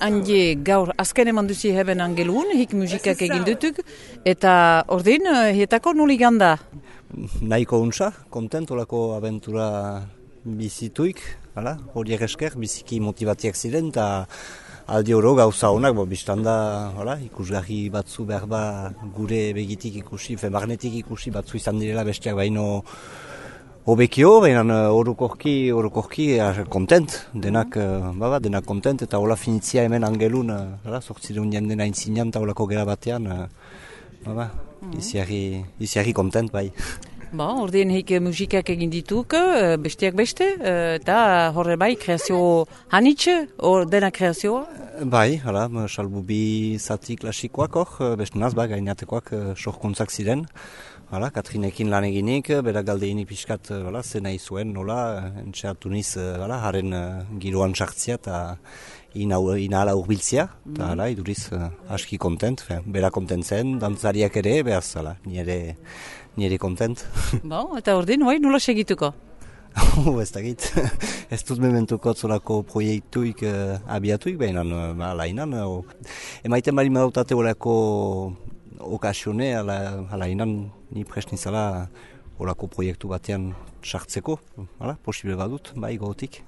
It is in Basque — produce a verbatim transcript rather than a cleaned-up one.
handi gaur azken eman duzi heben angelun, hik musikak egin dutuk, eta ordin, hietako nuli ganda? Nahiko untsa, kontent, olako abentura bizituik, hala, horiek esker, biziki motivatiak ziren, eta aldi oro gauza honak, bo, biztanda, hala, ikusgarri batzu behar ba, gure begitik ikusi, fe magnetik ikusi batzu izan direla besteak baino hobekio, baina orokorki, orokorki, kontent, denak, baba, denak kontent, eta hola finitzia hemen angelun, hala, sortzireun jenden aintzinean, eta holako gera batean, baba, iziarri, iziarri kontent, bai. Ba, ordien hik musikak egin dituk, besteak beste, eta horre bai, kreazio hanitxe, or dena kreazioa? Bai, hala, salbu bi zati klasikoak hor, beste naz, ba, gainatekoak sorkuntzak ziren. Hala, Katrinekin lan eginik, bera galdeinik pixkat, hala, zena izuen, nola, entxeatu niz, hala, haren giroan sartzia, eta inahala urbiltzia, eta hala, iduriz aski kontent, bera kontent zen, dantzariak ere, behaz, hala, nire, nire kontent. Ba, eta ordin, bai, nola segituko? Ez dakit, ez dut mementuko zolako proiektuik uh, abiatuik, behinan, uh, alainan, uh, emaiten bari madautate olako okasione, ala, alainan, ni prest nizala olako proiektu batean sartzeko, hala, posible badut, bai, gotik.